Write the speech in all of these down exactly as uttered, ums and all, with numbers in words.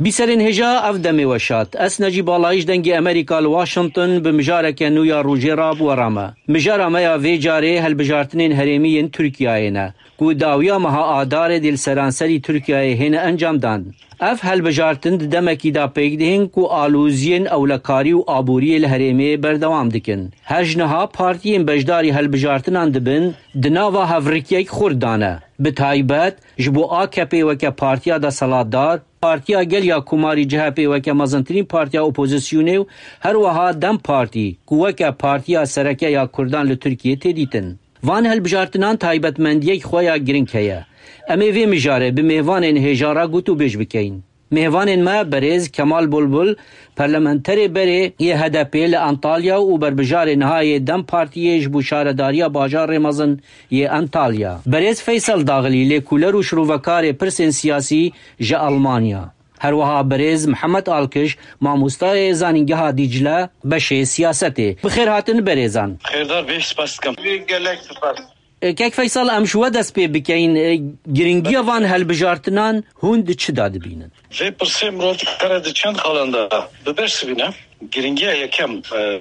Bîserên hêja ev demê weşat. Ez Necîb Balayî ji Dengê Amerîka li Washington bi mijareke nû ya rojê re bi we re me. Mijara me ya vê carê helbijartinên herêmî yên Tirkiyeyê ne, ku dawiya meha Adarê dê li seranserî Tirkiyeyê hêne encamdan. Ev helbijartin di demekî de pêk dihên ku aloziyên ewlekarî û aboriyê li herêmê berdewam dikin. Her ji niha partiyên beşdarî helbijartinan dibin, di nava hevrikiyek xurt de ne. Bi taybet, ji bo A K P weke partiya deselatdar, Partiya Gel ya Komarî C H P weke mezintirîn partiya opozisyonê û her wiha DEM Partî, ku weke partiya sereke ya Kurdan li Tirkiyê tê dîtin. Van hilbijartinan taybetmendiyek xwe ya giring heye. Em ê vê mijarê bi mêvanên hêja re gotûbêj bikeyin. Mêvanên me berêz Kemal Bulbul, parlamenterê berê yê H D P li Antalya û berbijarê niha yê DEM Partiyê ji bo şaredariya bajarê mezin yê Antalya. Berêz Feysel Daxilî, lêkoler û şirovekarê pirsên siyasî ji Almanya. Her wiha berêz Mihemed Alkiş, mamostayê Zanîngeha Dîcle, beşê siyasetê. Bi xêr hatin berêzan. Xêrdar bê, spas dikim. Gelek spas. E, Kek Feysel, em ji we dest pê bikeyin. E, giringiya van helbijartinan hûn di çi de dibînin? Vê pirsê mirov dikare di çend xalan de bibersivîne. Giringiya yekem, e,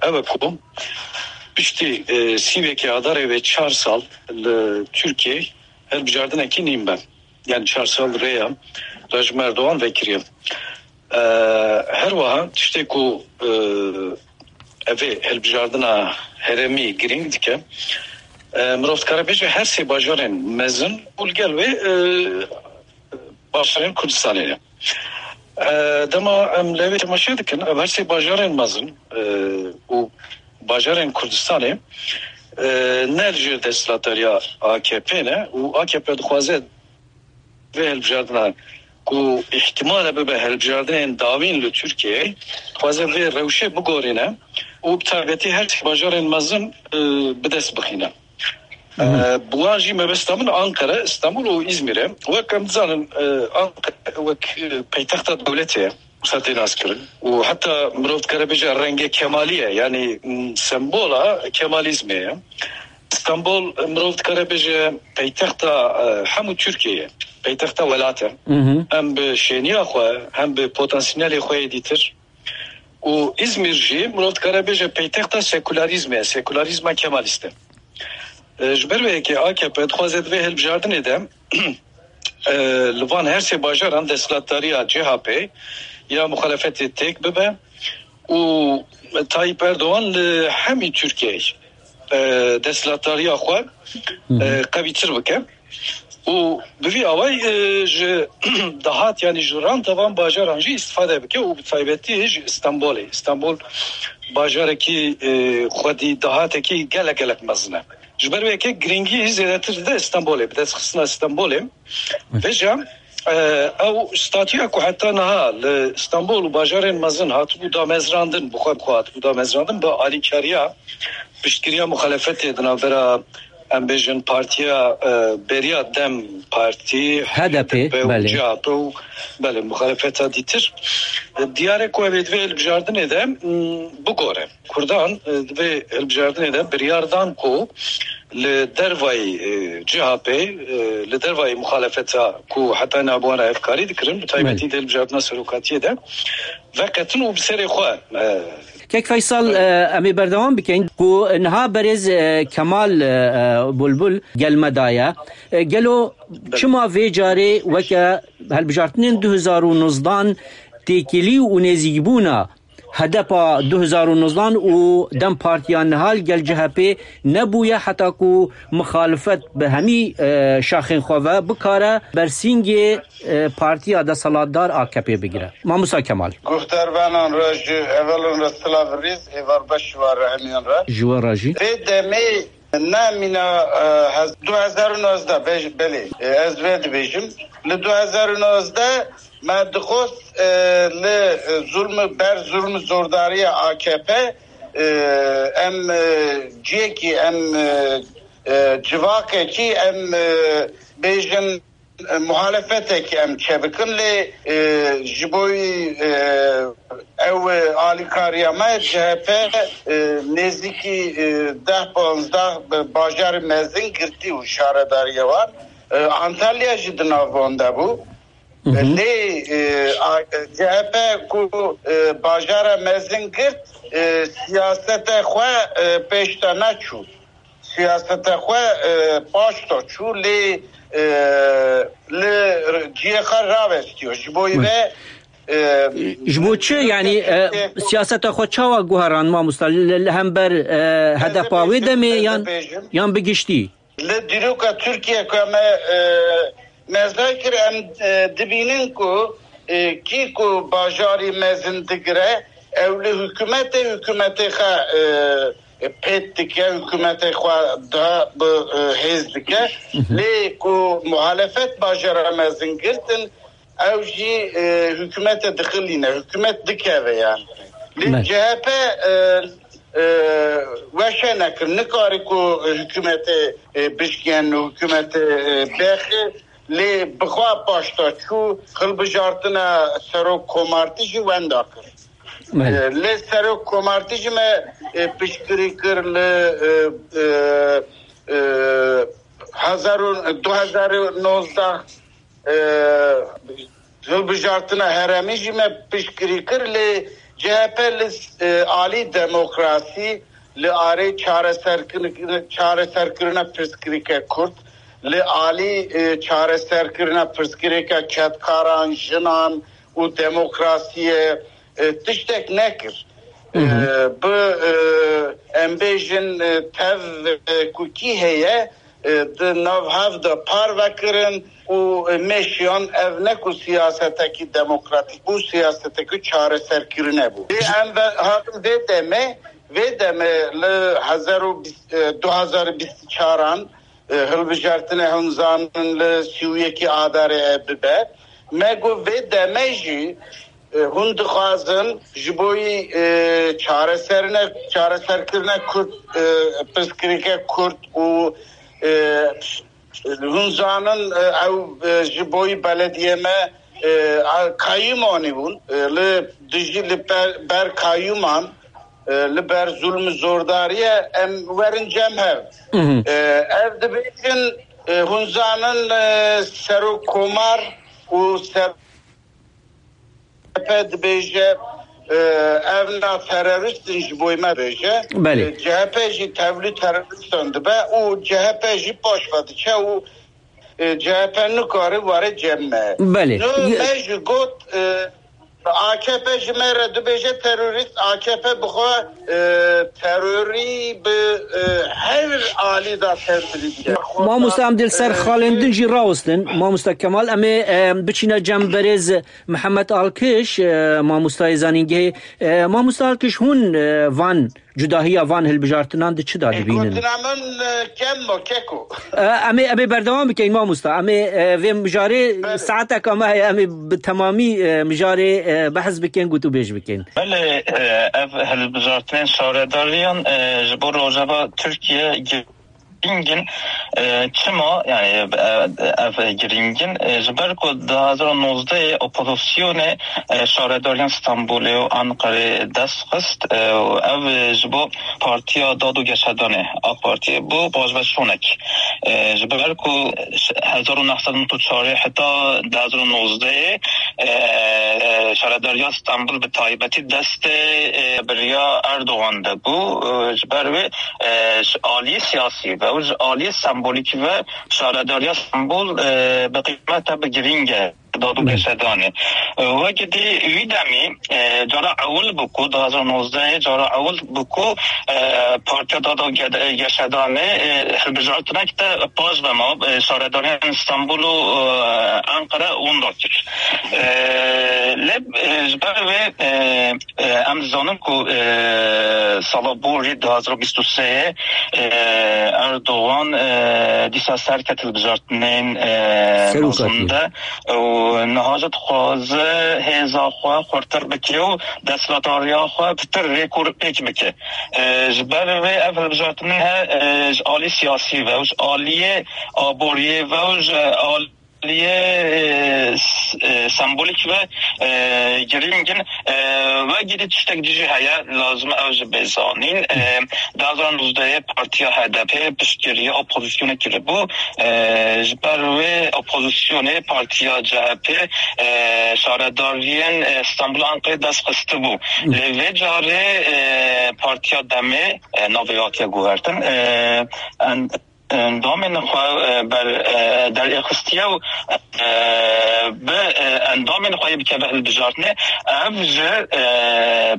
ew e ku piştî, e, sîvekê Adarê vê çar sal li Tirkiyeyê hilbijardinekî nîn be. Yani çar sal rêya rejîma Erdogan vekiriye. E, her wiha tiştê ku, e, evê hilbijardina herêmî girîng dike, e, mirov dikare bêje her sê bajarên mezin û li gel wê, e, bajarên Kurdistanê ne. E, dema em lê wê temaşe dikin, ev her sê bajarên mezin, e, û bajarên Kurdistanê, e, ne li jêr desthilatdariya A K P ne û A K P dixwaze vê hilbijardina ku îhtimal e bibe hilbijardinên dawîn li Tirkiyeyê, dixwaze vê rewşê bigorîne û bi taybetî her sê bajarên mezin, e, bi dest bixîne. E, bi wan jî mebesta min Ankara, Stenbul û Îzmîr e. Wek em dizanin, e, Ankara wek, e, peytexta dewletê ye, wisa tê naskirin. Û heta mirov dikare bêje rengê Kemalî ye, yanî, m, sembola Kemalîzmê ye. Stenbol, e, mirov dikare bêje peytexta, e, hemû Tirkiyeyê ye, peytexta welat e. Hem bi şêniya xwe, hem bi potansiyelê xwe yê dîtir. Û Îzmîr jî mirov dikare bêje peytexta sekularîzmê ye, sekularîzma Kemalîst e. E, ji ber wê yekê A K P dixwaze di vê hilbijardinê de, e, li van her sê bajaran desthilatdariya C H P ya muxalefetê têk bibe û Tayyip Erdogan li hemî Tirkiyeyê, e, desthilatdariya xwe, e, qewîtir bike. Û bi vî awayî, e, ji dahat, yanî ji ranta van bajaran jî îstifade bike û bi taybetî ji Stenbolê. Stenbol bajarekî, e, xwedî dahatekî gelek gelek mezin e. Ji ber wê yekê girîngî zêdetir dide Stenbolê, bi destxistina Stenbolê. Vêca, e, ew statûya ku heta niha li Stenbol û bajarên mezin hatibû damezrandin, bi xwe bi xwe hatibû damezrandin, bi alîkariya piştgiriya muxalefetê di navbera, em bêjin, partiya, e, beriya DEM Partî, H D P, H D P û belê. C H P û, belê, muxalefeta dîtir. E, diyar e ku ev ê di vê hilbijardinê de, m, bigore. Kurdan, e, di vê hilbijardinê de biryar dan ku li dervayî, e, C H P, e, li dervayî muxalefeta ku heta niha bi wan re hevkarî dikirin, bi taybetî Belê. di hilbijardina serokatiyê de veqetin û bi serê xwe, e, Kek Feysal, e, em ê berdewam bikin ku niha berêz, e, Kemal, e, e, Bulbul gel me daye. E, gelo çima vê carê weke helbijartinên du hezar û nozdan têkilî û nêzîkbûna H D P a du hezar û nozdan û DEM Partiya niha li gel C H P nebûye heta ku mixalifet bi hemî, e, şaxên xwe ve bikare bersîngê, e, partiya desthilatdar A K P bigire. Mamosta Kemal. Guhdarvanan re ji hevalên re silav rêz, êvar beş ji we re hemiyan re. Ji we re jî. Vê demê Ne mîna, e, hez-, du hezar û nozdeh, bej-, belê, e, ez vê dibêjim. Li du hezar û nozdeh me dixwest, e, li, e, zulm, ber zulm zordariya A K P, e, em, e, ciyekî, em, e, e, civakekî, em, e, bêjin, e, muhalefetekî em çêbikin, lê, e, ji bo wî, e, ew, e, alîkariya me C H P, e, nêzîkî, e, deh panzdeh bi bajarê mezin girtî û şaredariya wan, e, Antalya jî di nav wan de bû. Hı hı. Lê, e, C H P ku, e, bajara mezin girt, e, siyasete xwe, e, pêş de neçû. Siyasete xwe, e, paş de çû, lê, e, li cihê xwe ravestiyo. Ji bo ve, e, Ji bo çi, yanî, e, siyaseta xwe çawa guherand, mamosta? Li, li hember, e, H D P wê demê yan, yan bi giştî? Li dîroka Tirkiye ku em, e, mezay kir, em, e, dibînin ku, e, kî ku bajarî mezin digire, ew li hikûmetê, hikûmetê xwe, e, e, pêt dike, hikûmetê xwe daha bi, e, hêz dike. Lê ku muhalefet bajara mezin girtin, ew jî, e, hikûmete dixilîne, hikûmet dikeve yani. Lê C H P, e, e, weşe nekir, nikare ku hikûmetê, e, bişkên, hikûmetê, e, bexê, lê bixwe paşta çû hilbijartina serok komartî jî wenda kir. E, lê serok komartî jî me, e, piştgirî kir li, e, e, e, hezar û, du hezar û nozdeh, e, hilbijartina herêmî jî me piştgirî kir, lê C H P li, e, alî demokrasî, li arê çareserkirin-, çareserkirina pirsgirêke Kurd, li alî, e, çareserkirina pirsgirêke kedkaran, jinan û demokrasiyê, e, tiştek nekir. E, bi, e, em bêjin, e, tev, e, ku kî heye, e, di nav hev de parve kirin û, e, meşiyan, ev ne ku siyasetekî demokratîk bû, siyasetekî çareserkirine bû. Lê em ve-, hatin vê demê, vê demê li hezar û bîst, e, du hezar û bîst û çaran, e, hilbijartinê hûn zanin li sî û yekî Adarê e bibe. Me got vê demê jî, e, hûn dixwazin ji bo yî, e, çareserine, çareserkirine Kurd, e, pirsgirêke Kurd û, e, hûn zanin, e, ew, e, ji bo yî belediyê me, e, a, kayûm anîbûn, e, li dijî li ber, ber kayûman, e, li ber zulm û zordariyê em werin cem hev. E, ev dibêjin, e, hûn zanin, e, serok komar û ser C H P dibêje, e, ev na terorist in ji bo me dibêje. Belê. E, C H P jî tevlî teroristan dibe û C H P jî paş ve diçe û, e, C H P nikare were cem me. Belê. No, Ye- me jî got, e, A K P ji me re dibêje terorist, A K P bi xwe, e, terorî bi, e, her alî de terorî dike. Mamosta, em dê li ser, e, xalên din jî rawestin. Mamosta Kemal, em ê, e, biçîne cem berêz Mihemed Alkiş, e, mamostayê zanîngehê. E, Mamosta Alkiş, hûn, e, van cudahiya van hilbijartinan di çi da dibînin? Gotina min, e, kem bo, keko. E, em ê, em ê berdewam bikin, mamosta. Em ê, e, vê mijarê, belê, saeteka me heye, em ê bi temamî, e, mijarê, e, behs bikin, gotûbêj bikin. Belê, e, ev hilbijartinên şaredariyan, e, ji bo rojeva Tirkiye girîng in. E, çima, yani, e, ev girîng in? E, ji ber ku du hazar û nozdeh opozisyonê, e, şaredariyan Stenbolê û Anqerê dest xist, e, û ev, e, ji bo Partiya Dad û Geşedanê, AK Partiyê, bû paşveçûnek. E, ji ber ku hezar û neh sed û nod û çar heta du hazar û nozdeh, e, e, şaredariya Stenbul bi taybetî destê, e, beriya Erdogan de bû. E, ji ber wê, e, ji aliyê siyasî ve û ji aliyê sembolîkî ve şaredariya Stenbul, e, bi qîmete bi girîng e. Dad û Belê. Geşedanê. E, wekî dî wî demî, e, cara ewil bû ku, du hazar nozdeh cara ewil bû ku, e, Partiya Dad û Gede-, Geşedanê, e, hilbijartinek te paş ve ma, e, şaredariyan Stenbul û, e, Ankara winda kir. E, lê, e, ji ber wê, e, e, em dizanin ku, e, sala borî du hazar û bîst û sê, e, Erdogan, e, dîsa serket hilbijartinên, e, Serokatiyê. Mezin de. Û niha jî dixwaze hêza xwe xurtir bike û desthilatdariya xwe pitir rêk û pêk bike. E, ji ber vê ev hilbijartinê he, e, ji alî siyasî ve û ji aliyê aboriyê ve û ji alî Liyê e, s- e, sembolîk ve e, girîng in. E, Ve gidî tiştek dî jî heye, lazim ew jî bê zanîn. E, du hazar û nozdehê partiya H D P piştgiriya opozisyonê kiribû. E, ji ber wê opozisyonê partiya C H P e, şaredariyên e, Stenbul û Enqerê dest xistibû. Lê vê carê e, partiya Demê e, navê hatiye guhertin. E, en- endamên xwe e, ber e, derê xistiye û e, bi e, endamên xwe yê bikeve hilbijartinê. Ev ji e,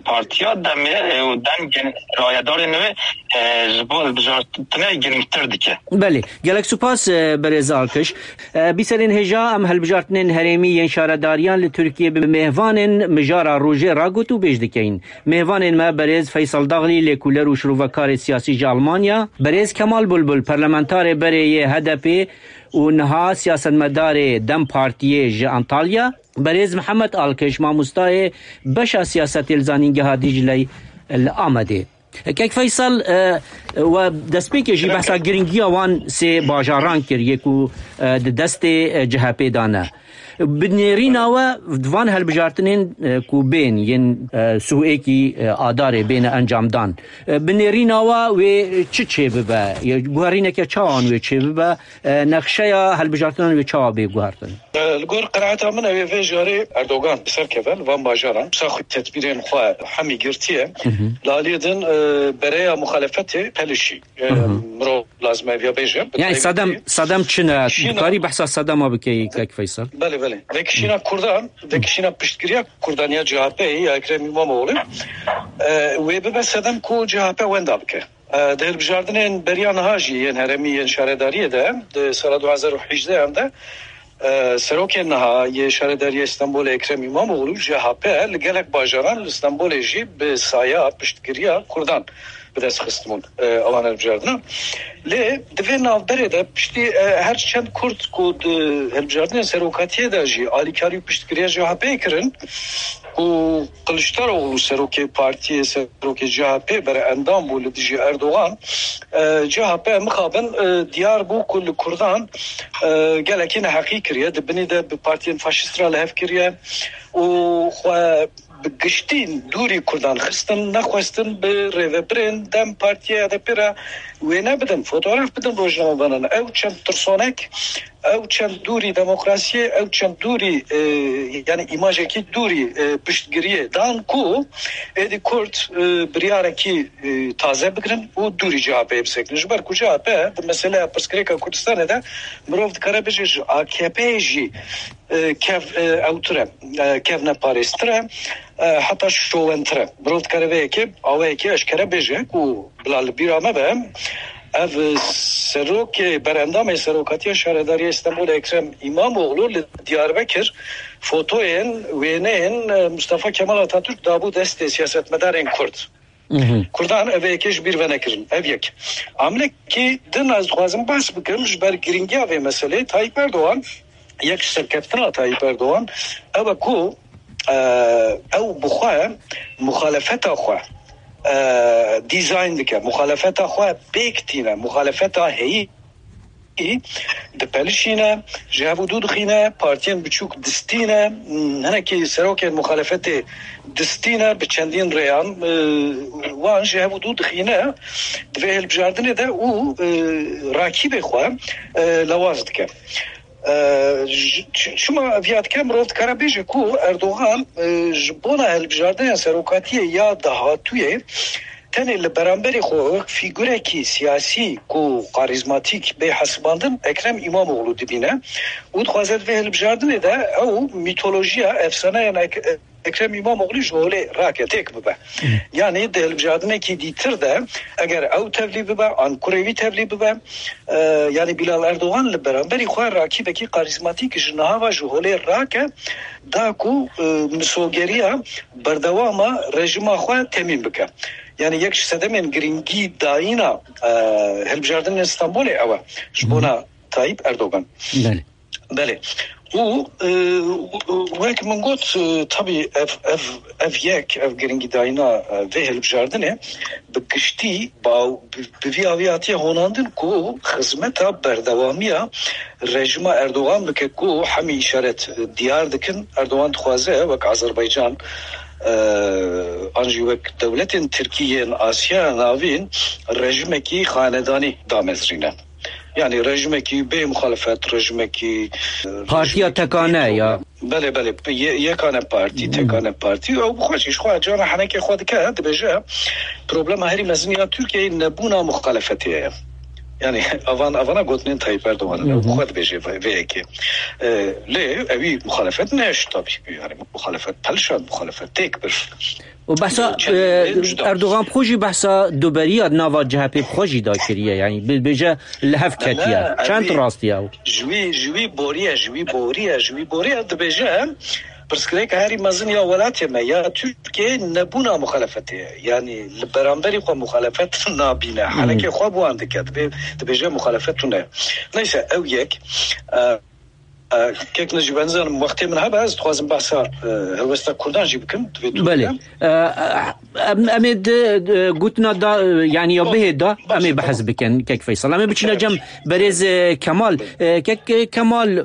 partiya Demê e, û dengên rayedarên wê e, ji bo hilbijartinê girîngtir dike. Belê, gelek spas e, berêz Alkiş. E, Bîserên hêja em hilbijartinên herêmî yên şaredariyan li Tirkiyê bi mêvanên mijara rojê ragot û bêj dikeyin. Mêvanên me berêz Feysel Daxlî, lêkoler û şirovekarê siyasî ji Almanya, berêz Kemal Bulbul, parlamentarê berê yê H D P û niha siyasetmedarê DEM Partiyê ji Antalya, berêz Mihemed Alkiş, mamostayê beşa siyasetê li Zanîngeha Dîcleyê li Amedê. Kek Feysel, e, we destpêkê jî behsa giringiya wan sê bajaran kir, yê ku e, di destê e, C H P de ne. Bi nêrîna we di van hilbijartinên e, ku bên yên e, sihêkî e, Adarê bêne encamdan. E, bi nêrîna we wê çi çêbibe? Yê guherîneke çawan wê çêbibe? E, nexşeya hilbijartinan wê çawa bê guhertin? E, Li gor qenaeta min ew ê vê jarê Erdogan bi ser keve li van bajaran. Wisa xwe tedbîrên xwe hemî girtiye. Li aliyê din e, bereya muxalefetê pelişî. E, Mirov lazim e viya bêje. Yani Sadem, Sadem çi ne? Dikarî behsa Sadema bikeyî, kek Feysel? Belê, belê. Vekişîna Kurdan, vekişîna piştgiriya Kurdan ya C H P ya Ekrem İmamoğlu, e, wê bibe sedem ku C H P wenda bike. E, di hilbijardinên beriya niha jî yên herêmî yên şaredariyê de, di sala du hazar û hejdeh de, e, serokê niha yê şaredariyê Stenbolê Ekrem İmamoğlu, C H P, li gelek bajaran li Stenbolê jî bi saya piştgiriya Kurdan bi dest xistibûn, e, ewan hilbijartina. Lê di vê navberê de piştî, e, her çend Kurd ku di hilbijardinên serokatiyê de jî alîkarî û piştgiriya C H P kirin, ku Kiliçdaroglu serokê partiyê, serokê C H P bere endam bû li dijî Erdogan, e, C H P mixabin, e, diyar bû ku li Kurdan, e, gelekî neheqî kiriye, di binî de bi partiyên faşîst re li hev kiriye û xwe bi giştî dûrî Kurdan xistin, nexwestin bi rêvebirên DEM Partiyê, H D P re wêne bidin, fotograf bidin rojnamevanan. Ew çend tirsonek, ew çend dûrî demokrasiyê, ew çend dûrî, e, yani îmajekî dûrî, e, piştgiriyê dan ku êdî Kurd, e, biryarekî, e, taze bigirin û dûrî C H P'yê bisekinin. Ji ber ku C H P di meseleya pirsgirêka Kurdistanê de mirov dikare bêje ji A K P'yê jî e, kev, e, ewtir e, e, kevneparêztir e, e, heta şowentir e. Mirov dikare vê yekê awayekê eşkere bêje ku bila li bîra me be, ev, e, serokê, berendamê serokatiya şaredariyê Stenbolê Ekrem İmamoğlu li Diyarbekir fotoyên, wêneyên, e, Mustafa Kemal Atatürk dabû destê siyasetmedarên Kurd. Kurdan ev yekê ji bîr venekirin. Ev yek. Amlekî din ez dixwazim behs bikim ji ber girîngiya vê meselê. Tayyip Erdogan yek ji serkeftina Tayyip Erdogan ew e ku, e, ew bi xwe muxalefeta xwe, e, dîzayn dike. Muxalefeta xwe pêk tîne. Muxalefeta heyî dipelişîne, ji hev û dû dixîne, partiyên biçûk distîne, hinekî serokên muxalefetê distîne, bi çendîn rêyan, e, wan ji hev û dû dixîne di vê hilbijartinê de û, e, rakîbê xwe, e, lewaz dike. E, ji, çi- çima viya dike? Mirov dikare bêje ku Erdogan, e, ji bona hilbijardina serokatiyê ya dahatûyê tenê li beramberî xwe wek fîgurekî siyasî ku karîzmatîk bê hesibandin Ekrem İmamoğlu dibîne û dixwaze di vê hilbijardinê de ew mîtolojiya, efsaneyên Ek- Ekrem İmamoğlu ji holê rake, têk bibe. Yanî di hilbijardinekî dîtir de eger ew tevlî bibe an kurê wî tevlî bibe, e, yanî Bilal Erdogan li beramberî xwe rakîbekî karîzmatîk ji niha ve ji holê rake, da ku, e, misogeriya berdewama rejîma xwe temîn bike. Yanî yek ji sedemên girîngî dayîna, e, hilbijartinên Stenbolê ew e ji bona Tayyip Erdogan. Belê. Belê. û, e, wek min got, e, tabî ev, ev, ev yek, ev giringîdayîna, e, vê hilbijartinê bi giştî baw-, bi, bi vî awî hatiye honandin ku xizmeta berdewamiya rejîma Erdogan bike ku hemî îşaret, e, diyar dikin. Erdogan dixwaze wek Azerbaycan, e, an jî wek dewletên Tirkî yên Asya Navîn rejîmekî xanedanî damezrîne. Yani rejimekî bê muxalefet, rejimekî, e, Partiya rejimekî tekane diktator ya. Belê, belê, ye-, yekane partî, Hmm. tekane partî. Ew bi xwe jî, ji xwe cana henekê xwe dike, dibêje, problema herî mezin ya Tirkiyeyê nebûna muxalefetê ye. Yani avan, avana gotinên Tayyip Erdogan, Hı hı. ew bi xwe dibêje vê, vê yekê. E, lê ewî muxalefet neşt tabî. Yani muxalefet pelşand, muxalefet têk bir. Û behsa, Çend e, rêj da. Erdogan bi xwe jî behsa duberiya di nava C H P bi xwe jî da kiriye. Yani bi-, bêje li hev ketiye. Ne, Çend evî rastî ye ew? Ji wî, ji wî boriye, ji wî boriye, ji wî boriye dibêje, pirsgirêka herî mezin ya welatê me, ya Tirkiyeyê nebûna muxalefetê ye. Yani li beramberî xwe muxalefet nabîne. Hmm. Henekê xwe bi wan dike. Dibê-, dibêje muxalefet tune. Neyse, ew yek. E, E, kek Necîb, ez nizanim wextê min hebe, ez dixwazim behsa, e, helwesta Kurdan jî bikim, divê tu Belê. bike. E, em, em ê di, di gotina da, e, yani ya Baş, bihê da, baş, em ê behs tamam. bikin, kek Feysal. Em ê biçine Evet. cem berêz, e, Kemal. E, kek, e, Kemal, e,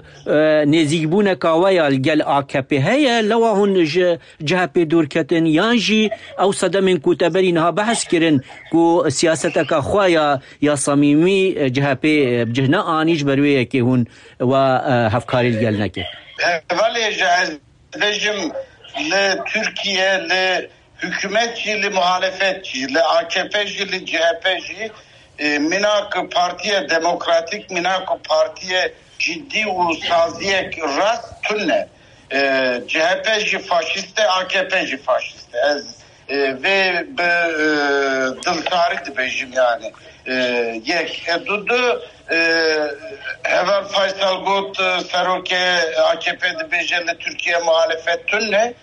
nêzîkbûneka we ya li gel A K P heye, lewa hûn ji C H P dûr ketin, yan jî ew sedemên ku te berî niha behs kirin, ku siyaseteka xwe ya, ya samîmî, e, C H P, e, bi cih neanî, ji ber wê yekê hûn we, e, hevkarî li gel neke. Hevalê ji ez bêjim, li Tirkiye, li hikûmet jî, li muhalefet jî, li A K P jî, li C H P jî, e, mînak partiye demokratîk, mînak partiye cidî û saziyek rast tune. E, C H P jî faşîst e, A K P jî faşîst e. Ez, e, vê bi, e, diltarî dibêjim yani. E, yek. E, du, du, e, heval Faysal got, e, serokê A K P dibêje li Tirkiye muhalefet tune.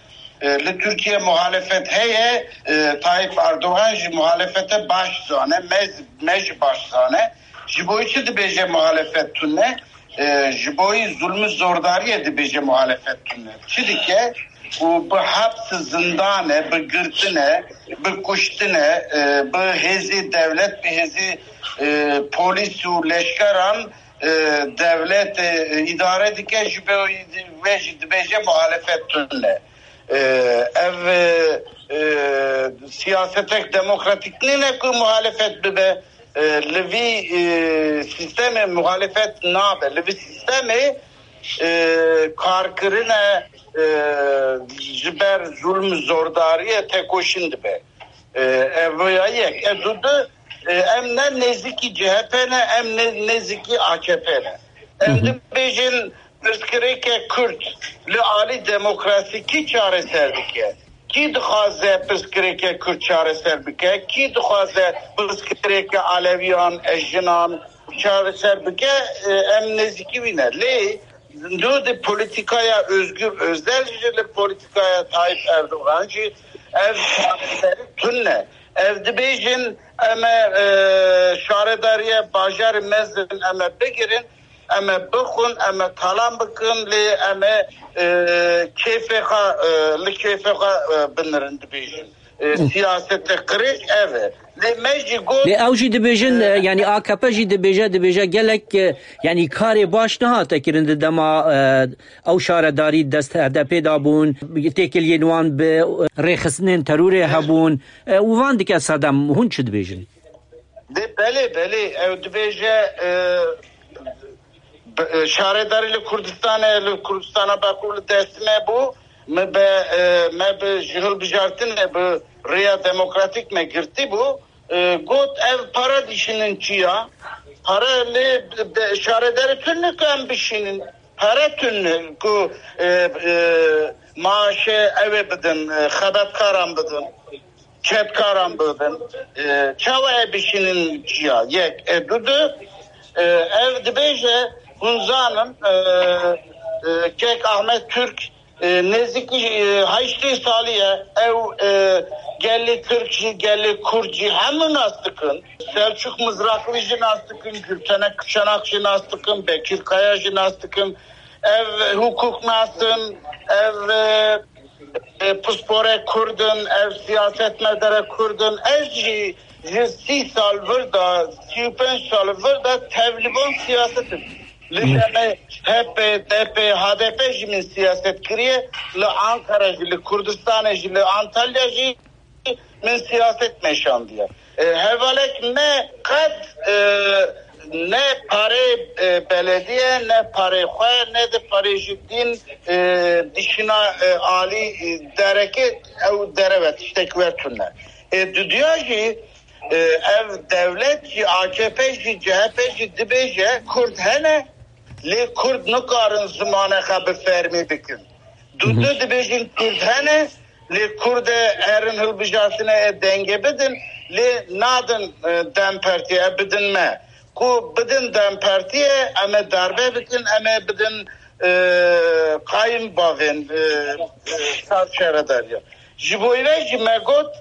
E, li Tirkiye muhalefet heye, e, Tayyip Erdogan jî muhalefete baş zane, me, me jî baş zane. Ji bo çi dibêje muhalefet tune? E, ji bo zulmî zordariyê dibêje muhalefet tune. Çi dike? Û bi heps zindane, bi girtine, bi kuştine, e, bi hêzê dewlet, bi hêzê, e, polîs û leşkeran, e, dewlet, e, îdare dike, ji bo vê jî dibêje muhalefet tune. E, ev, e, e, siyasetek demokratîk nîne ku muhalefet bibe. E, li vî, e, sîstemê muhalefet nabe. Li vî sîstemê, e, karkirine, e, ji ber zulm zordariyê tekoşîn dibe. E, ev ya yek. E, du, du, e, em ne nêzîkî C H P ne, em ne nêzîkî A K P ne. Em Hı hı. dibêjin pirsgirêke Kurd li alî demokrasî kî çareser dike? Kî dixwaze pirsgirêke Kurd çareser bike? Kî dixwaze pirsgirêke Alewiyan, e, jinan çareser bike? E, em nêzîkî wî ne. Lê Dû di polîtîkaya Özgür Özel jî, li polîtîkaya Tayyip Erdogan jî ev çareserî tune. Ev dibêjin, em ê, e, şaredariyê bajarê mezin em ê bigirin, em ê bixwin, em ê talan bikin, lê em ê, e, kêfê xwe, e, li kêfê xwe, e, binirin dibêjin. E, siyasetê qirêj ev e. Lê me jî got, Lê ew jî dibêjin, e, e, yani A K P jî dibêje, dibêje gelek, e, yani karê baş nehate kirin di dema, e, ew şaredarî dest H D P da bûn, têkiliyên wan bi, e, rêxistinên terorê hebûn. E, û van dike sedem, hûn çi dibêjin? Dê belê, belê, ew dibêje, e, Bi-, e, şaredarî li Kurdistanê, li Kurdistana Bakur li dest me bû. Me be, e, me bi ji hilbijartinê bi rêya demokratîk me girtî bû. E, got, ev para dişînin çi ya? Para li de, şaredarî tune ku em bişînin. Para tune ku, e, e, maaşê ew ê bidin, e, xebatkaran bidin. Çepkaran bibin. E, çawa e bişînin çiya? Yek. E, du, du, e, ev dibêje, hûn zanin, e, e, kek Ahmet Türk, e, nêzîkî, e, heştê salî ye. Ew, e, gelê Tirk jî, gelê Kurd jî hemû nas dikin. Selçuk Mızraklı jî nas dikin, Gültenek Çanak jî nas dikin, Bekir Kaya jî nas dikin. Ev hukuknas in, ev, e, e, pisporê Kurd in, ev siyasetmedere Kurd in. Ez jî ji sî sal vir de, sî û pênc sal vir de tevlivan siyaset im. Li demê H P, D P, H D P jî min siyaset kiriye, li Ankara jî, li Kurdistanê jî, li Antalya jî min siyaset meşandiye. E, hevalek me qet, e, ne parê, e, belediye, ne parê xwe, ne de parê ji din, e, dişina, e, alî, e, dereke ew dereve tiştek wertune. E, dudiya jî, e, ev dewlet jî, A K P jî, C H P jî dibêje Kurd hene, lê Kurd nikarin zimanê xwe bi fermî bikin. Dudu dibêjin Kurd hene, lê Kurd e erin hilbijartine e dengê bidin, lê nadin, e, DEM Partiyê, e bidin me. Ku bidin DEM Partiyê, em ê darbe bikin, em ê bidin, e, qayim bavên, e, e, sar şaredariya. Ji bo vê jî me got,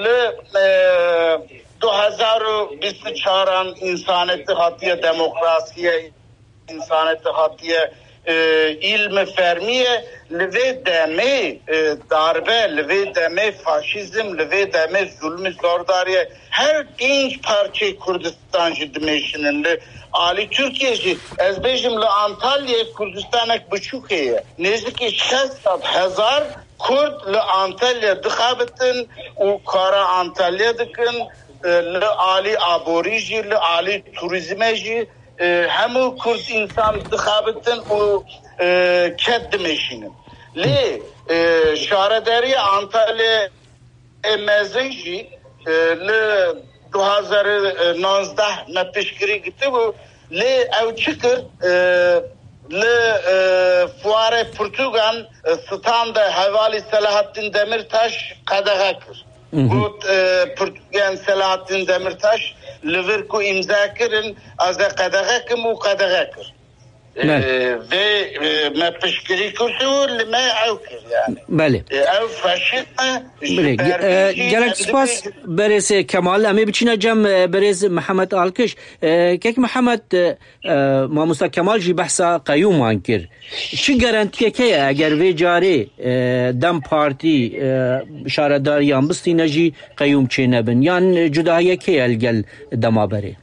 li, e, du hezar û bîst û çaran însanetî hatiye demokrasiye, însanetî hatiye, e, îlmi fermî ye. Li vê demê, e, darbe, li vê demê faşîzm, li vê demê zulmî zordariye. Her pênc parçeyê Kurdistan jî dimeşînin. Li alî Tirkiyê jî, ez bêjim, li Antalyayê Kurdistanek biçûk heye. Nêzîkî şeş sed hezar Kurd li Antalya dixebitin û kara Antalya dikin. E, li alî aborî jî, li alî turîzmê jî, e, hemû Kurd însan dixebitin û, e, ked dimeşînin. Lê, e, şaredariya Antalyayê mezin jî, e, li du hazar û navzdeh me piştgirî girtibû. Lê ew çi kir? E, li, e, fuarê pirtûkan, e, stand e hevalî Selahattîn Demirtaş qedexe kir. Got, e, pirtûkên Selahattîn Demirtaş li vir ku îmza kirin, ez ê qedexe kim û qedexe kir. E, Belê. Vê, e, me piştgirî kir û li me ew kir yani. Belê. E, ew faşîzm e, ji Belê. Ge-, bervê e, jî gelek em spas dibêjin. Berêz Kemal. Em ê biçîne cem, e, berêz Mihemed Alkiş. E, kek Mihemed, e, e, mamosta Kemal jî behsa qeyûman kir. Çi garantiyek heye eger vê carê, e, DEM Partî, e, şaredariyan bistîne jî qeyûm çênebin? Yan cudahiyek heye li gel dema berê?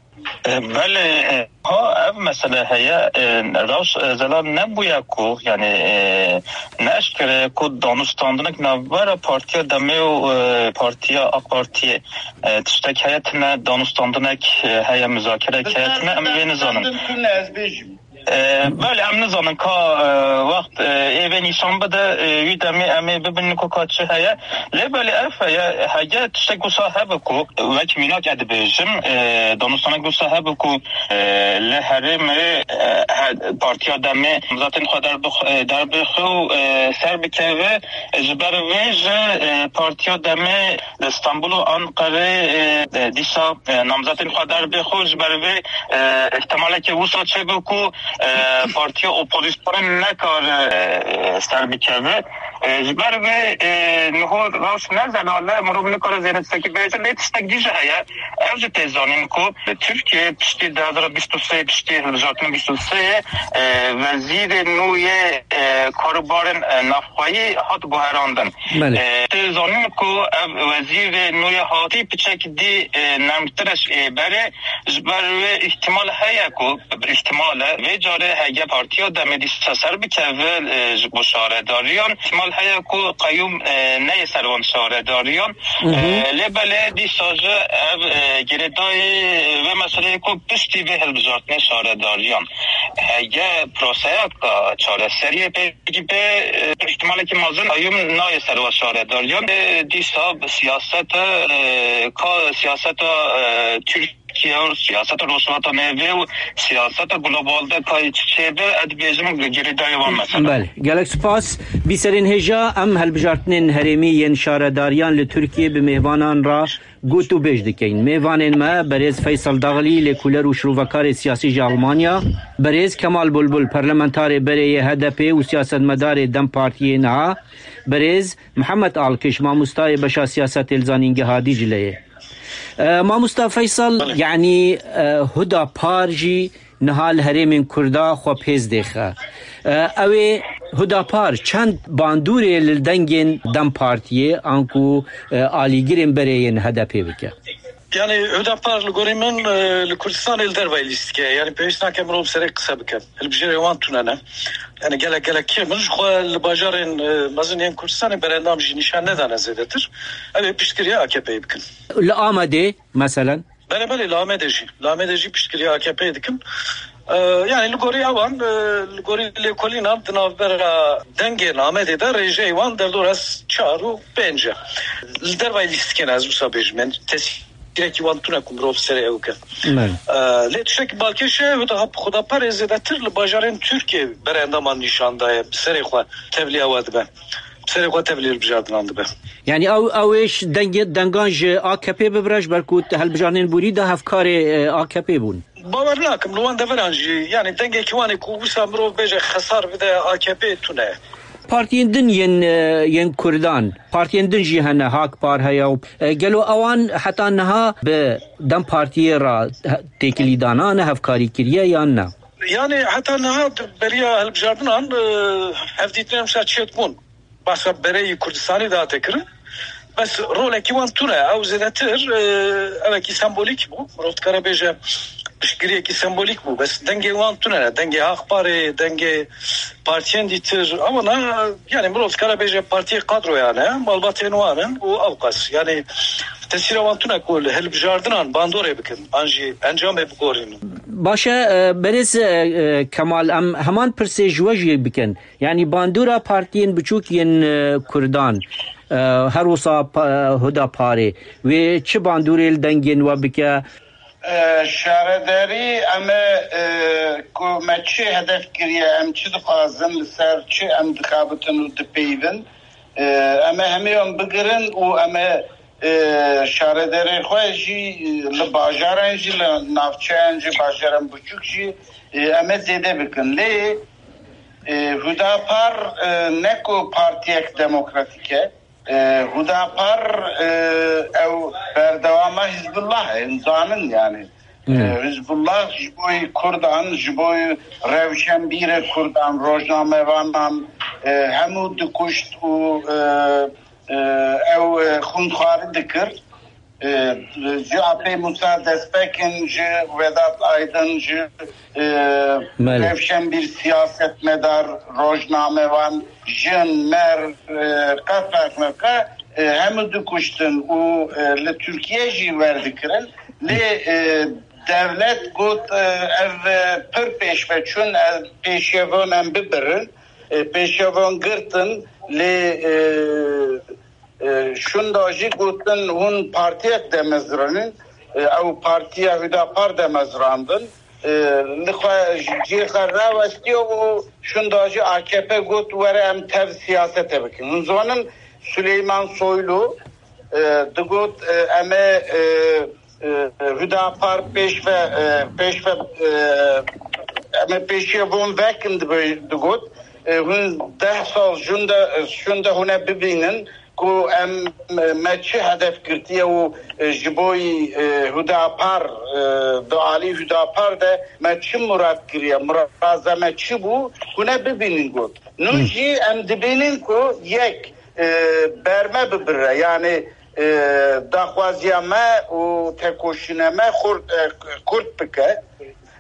E, belê, e, ha ev mesele heye, e, rewş, e, zelal nebûye ku, yani, e, ne eşkere ku danûstandinek navbera Partiya Demê û, e, Partiya AK Partiyê, e, tiştek heye tine, danûstandinek, e, heye, muzakerek heye tine, em vê nizanin. Danûstandin tune, ez bêjim. E, belê, em nizanin ka, e, wext, e, ê vê nîşan bide, e, wî demê em ê bibînin ku ka çi heye. Lê belê ev heye, hege tiştek wisa hebe ku wek mînak ez dibêjim, e, danûstanek wisa hebe ku, e, li herêmê, e, he-, Partiya Demê namzatên xwe derbix-, e, derbixwe û, e, ser bikeve. Ji ber vê jî, e, Partiya Demê li Stenbul û Anqerê, e, e, dîsa, e, namzatên xwe derbixwe. Ji ber vê, e, ihtimaleke wisa çêbe ku, e, partiya opozîsyonê nekare, e, ser bikeve. E, ji ber vê, e, niho rewş ne zelal e, mirov nikare zêde tiştekî bêje, lê tiştek dî jî heye. Ev jî tê zanîn ku li Tirkiyê piştî du hezar bîst û sê, piştî hilbijartina bîst û sê, e, wezîrê nû yê, e, karûbarên, e, navxweyî hat guherandin. Belê. E, tê zanîn ku ev wezîrê nû yê hatî piçek dî, e, nermtir e ji ê berê. Ji ber wê îhtimal heye ku, îhtimal e, vê carê hege Partiya Demê dîsa ser bikeve, e, ji bo şaredariyan, îhtimal heye ku qeyûm, e, neyê ser wan şaredariyan. E, lê belê dîsa jî ev, e, girêdayî vê meseleyê ku piştî vê hilbijartinê şaredariyan, hege proseya ka çareseriyê pêk be, e, îhtimalekî mezin qeyûm nayê ser wan şaredariyan. E, dîsa bi siyaseta, e, ka siyaseta, e, Tirk- Tirkiye û siyaseta Rojhilata Navîn û siyaseta global de kayê çi çêbe, ez dibêjim li girêdayê wan mesela. Belê. Gelek spas. Bîserên hêja, em hilbijartinên herêmî yên şaredariyan li Tirkiyê bi mêvanan re gotûbêj dikeyin. Mêvanên me, berêz Feysel Daxlî, lêkoler û şirovekarê siyasî ji Almanya, berêz Kemal Bulbul, parlamentarê berê yê H D P û siyasetmedarê DEM Partiyê niha, berêz Mihemed Alkiş, mamostayê beşa siyasetê li Zanîngeha Dîcleyê. E, mamosta Feysel, Belê. Yanî, e, Huda Par jî Niha li herêmên Kurda xwe pêz dêxe. E, ew ê Hudapar çend bandorê li dengên DEM Partiyê anku, e, alîgirên berê yên H D P bike? Yani Hudapar li gorî min, e, li Kurdistanê li dervayî lîstikê ye. Yani pêwîst nake mirov serê qise bike. Hilbijêrê wan tune ne. Yani gelek gelek kêm in. Ji xwe li bajarên, e, mezin yên Kurdistanê berendam jî nîşan nedane zêdetir. Ew ê piştgiriya A K P'yê bikin. Li Amedê, meselen? Belê, belê, li Amedê jî. Li Amedê jî piştgiriya A K P'yê dikin. E, yani li gorî ewan, e, li gorî lêkolînan di navbera dengên Amedê de rêjeyê wan derdora çar û pênc e. Li dervayî lîstikê ne, ez wisa bêjim. Yani tesîrekî wan tune ku mirov serê ew ke. Belê. E, lê tiştekî balkêş e, Huda, Hudaparê zêdetir li bajarên Tirkiyê berendaman nîşan daye, serê xwe tevliya we dibe. Serê xwe tevlî hilbijartinan dibe. Yani ew, ew ê ji dengê, dengan ji A K P bibire, ji ber ku hilbijartinên borî de hevkarê, e, A K P bûn. Bawer nakim li wan deveran jî, yani dengekî wan ê ku wisa mirov bêje xesar bide A K P tune ye. Partiyên din yên, e, yên Kurdan, partiyên din jî hene, Hak Par heye û, e, gelo ewan heta niha bi DEM Partiyê re he-, têkilî dana ne, hevkarî kiriye yan ne? Yani heta niha di beriya hilbijartinan, e, hevdîtinên wisa çêdibûn. Behsa bereyî Kurdistanî dihate kirin. Bes rolekî wan tune. Ew zêdetir, e, ewekî sembolîk bû. Mirov dikare bêje piştgiriyekî sembolîk bû. Bes dengê wan tune ne. Dengê Hak Parê, dengê partiyên dîtir. Ewana, yani mirov dikare bêje partiyê kadroyan e, malbatên wan in û ewqas. Yani tesîra wan tune ku li hilbijartinan bandorê bikin, an jî encamê bigorînin. Baş e, e, berêz, e, e, Kemal, em heman pirsê ji we jî bikin. Yani bandora partiyên biçûk yên, e, Kurdan, e, her wisa pa-, Huda Parê, wê çi bandorê li dengên we bike? E, şaredarî em ê, e, ku me çi hedef kiriye, em çi dixwazin, li ser çi em dixabitin û dipeyvin, e, em ê hemî em bigirin û em ê, e, şaredarê xwe jî, e, li bajaran jî, li navçeyan jî, bajaran biçûk jî, e, em ê zêde bikin. Lê, e, Hudapar, e, ne ku partiyek demokratîk e, e, Hudapar, e, ew berdewama Hizbullah e, em zanin yani. E, Hmm. Hizbullah ji bo Kurdan, ji bo rewşenbîrê Kurdan, rojnamevanan, e, hemû dikuşt û, e, e, ew, e, xwînxwarî dikir. E, ji Apê Musa Destpêkin, ji Vedat Aydın, ji, e, Belê. Rewşenbîr, siyasetmedar, rojnamevan, jin, mer, e, qe ferq nake, e, hemû dikuştin û, e, li Tirkiye jî werdikirin. Lê, e, dewlet got, e, ev, e, pir pêşve çûn, e, pêşiyevon em bibirin. E, pêşiyevon girtin, lê, e, E, şunda jî gotin, hûn partiyek demezranin, e, ew partiya Hüdapar demezrandin. E, li xwe cihê xwe rawestiye û şunda jî A K P got, were em tev siyasete bikin. Hûn zanin Süleyman Soylu, e, digot, e, em ê, e, e, Hüdapar pêşve, e, pêşve, e, em ê pêşiye von vekin dibe-, digot. E, hûn deh sal şunda, şunda hûn e bibînin ku em, me çi hedef girtiye û, e, ji bo yî, e, Hüdapar, e, di alî Hüdapar de me çi murad kiriye, muraza me çi bû, hûn e bibînin got. Nû Hmm. jî em dibînin ku yek, e, berme bibire, yani, e, daxwaziya me û tekoşîne me xurt, e, kurt bike.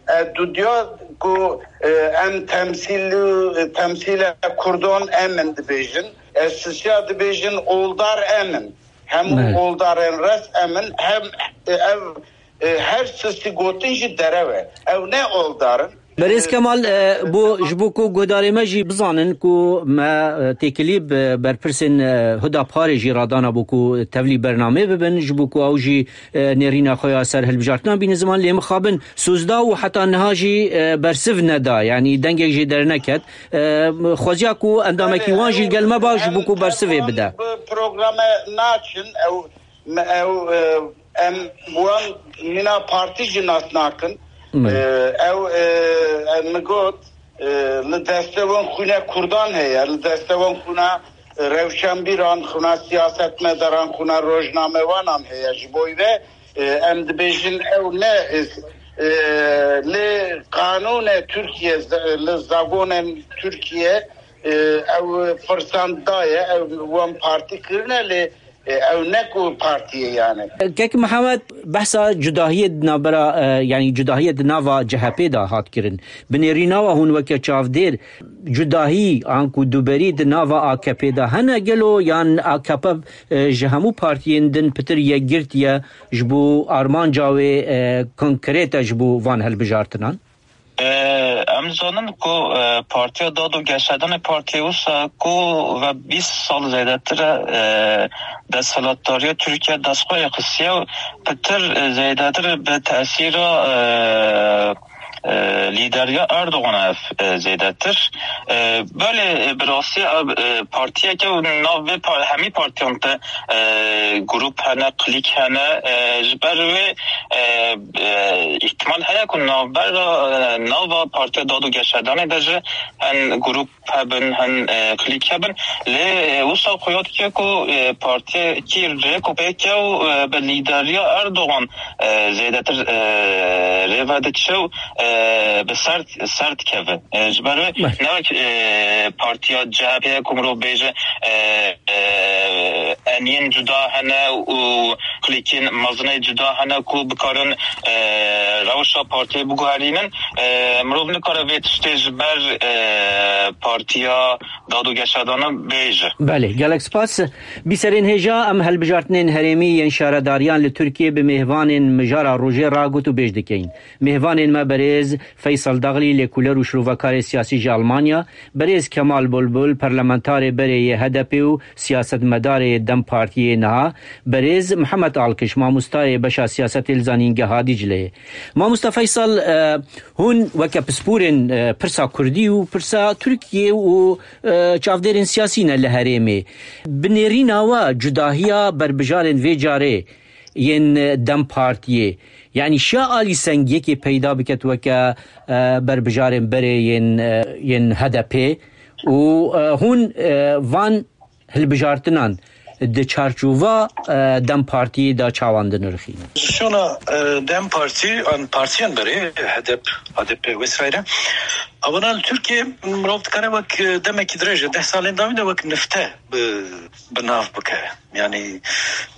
E, dudiya ku, e, em temsîl, temsîle Kurdan em in dibêjin. E, sisiya dibêjin oldar em in. Hemû Evet. oldarên res em in. Hem, e, ev, e, her sisî gotin jî derew e. Ew ne oldar in. Berêz Kemal, e, bo, ji bo ku guhdarê me jî bizanin ku me, e, têkilî bi berpirsên, e, Huda Parê jî radana bo ku tevlî bernamê bibin, ji bo ku ew jî, e, nêrîna xwe ya ser hilbijartinan bînin ziman, lê mixabin Sozda û heta niha jî, e, bersiv neda, yanî dengek jê derneket. E, xweziya ku endamekî wan jî li gel me ba ji bo ku bersivê bide. Bi programe naçin, ew, me, ew, e, em wan mîna partî jî nas nakin. Hmm. E, ew, e, e, min got, e, li destê wan xwîna Kurdan heye, li destê wan xwîna rewşenbîran, xwîna siyasetmedaran, xwîna rojnamevanan heye. Ji bo vê, e, em dibêjin ew ne, e, E, lê qanûnê Tirkiye, li zagonên Tirkiye, e, ew firsan daye, ew wan partî kirine, lê, e, ew ne ku partî ye yani. Kek Mihemed, behsa cudahiyê di navbera, e, yanî cudahiyê di nava C H P de hat kirin. Bi nêrîna we hûn weke çavdêr cudahî an ku duberî di nava A K P de hene gelo, yan A K P, e, ji hemû partiyên din pitir yekgirtiye, ji bo armanca wê, e, konkret e ji bo van hilbijartinan? E, em zanin ku, e, Partiya Dad û Geşedanê partiyê wisa ku ve bîst sal zêdetir e, e, desthilatdariya Tirkiye dest xwe xistiye û pitir, e, zêdetir bi tesîra, e, e, lîderiya Erdogan ev, e, zêdetir. E, belê, e, bi rastî ev, e, partiyeke û nav vê par-, hemî partiyan te, e, grup hene, klîk hene. E, ji ber wê, e, e, îhtimal heye ku navbera, e, nava Partiya Dad û Geşedanê de jî hin grup hebin, hin, e, klîk hebin. Lê, e, wisa xuya dike ku, e, partiyekî rêk û pêk e û, e, bi lîderiya Erdogan, e, zêdetir, e, rê ve diçe û, e, bi ser, ser dikeve. E, ji ber wê ne wek, e, partiya C H P ye ku mirov bêje, e, e, eniyên cuda hene û klîkên mezinê cuda hene ku bikarin, e, rewşa partiyê biguherînin. E, mirov nikare vê tiştê ji ber, e, partiya Dad û Geşedana bêje. Belê, gelek spas. Bîserên hêja, em hilbijartinên herêmî yên şaredariyan li Tirkiyê bi mêvanên mijara rojê ragot û bêj dikeyin. Mêvanên me berêz Feysel Daglî, lêkoler û şirovekarê siyasî ji Almanya, berêz Kemal Bulbul, parlamentarê berê yê H D P û siyasetmedarê DEM Partiyê niha, berêz Mihemed Alkiş, mamostayê beşa siyasetê li Zanîngeha Dîcleyê. Mamosta Feysel, e, hûn weke pisporên, e, pirsa kurdî û pirsa Tirkiyê û, e, çavdêrên siyasî ne li herêmê. Bi nêrîna we cudahiya berbijarên vê carê yên, e, DEM Partiyê, yanî şiya alî sengiyekê peyda biket weke, e, berbijarên berê yên, e, yên H D P û, e, hûn, e, van hilbijartinan di çarçova, e, DEM Partiyê de çawan dinirxînin? Pozîsyona, e, DEM Partî an partiyên berê, H D P, H D P vesaire, ewana li Tirkiyê mirov dikare wek, e, demekî dirêj e, deh salên dawî de wek nifte bi, bi nav bike. Yanî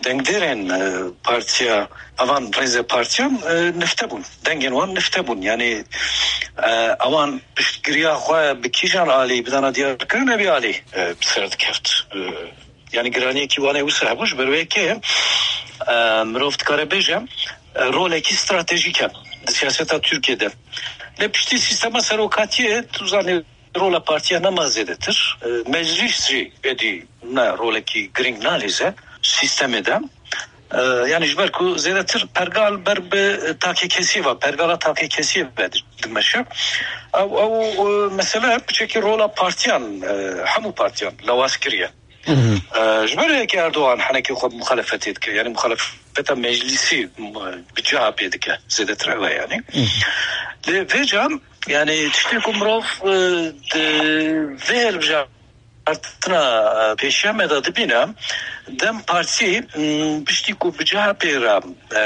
dengdêrên, e, partiya, evan rêze partiyan, e, nifte bûn. Dengên wan nifte bûn. Yanî, e, ewan piştgiriya xwe bi kîjan alî, bi dana diyarkirin evî alî, e, bi ser dikeft. E, yanî giraniyekî wan ê wisa hebû, ji ber wê yekê, e, mirov dikare bêje, e, rolekî stratejîk e di siyaseta Tirkiyê de. Lê piştî sîstema serokatiyê, tu zanî, rola partiya nema zêdetir. E, meclîs jî êdî ne rolekî girîng nalîze sîstemê de. E, yanî ji ber ku zêdetir pergal ber bi takekesiyê ve, pergala takekesiyê ve dimeşe. Ew, ew, e, mesele piçekî rola partiyan, e, hemû partiyan lawaz kiriye. E, ji ber yekê Erdogan henekê xwe muxalefetê dike, yanî muxalefeta meclîsî, m-, bi C H P dike, zêdetir ev e yanî. Lê vê cem, yanî tiştê ku mirov, e, di vê hilbijartina, e, pêşiya me de dibîne, DEM Partî, m, piştî ku bi C H P re, e,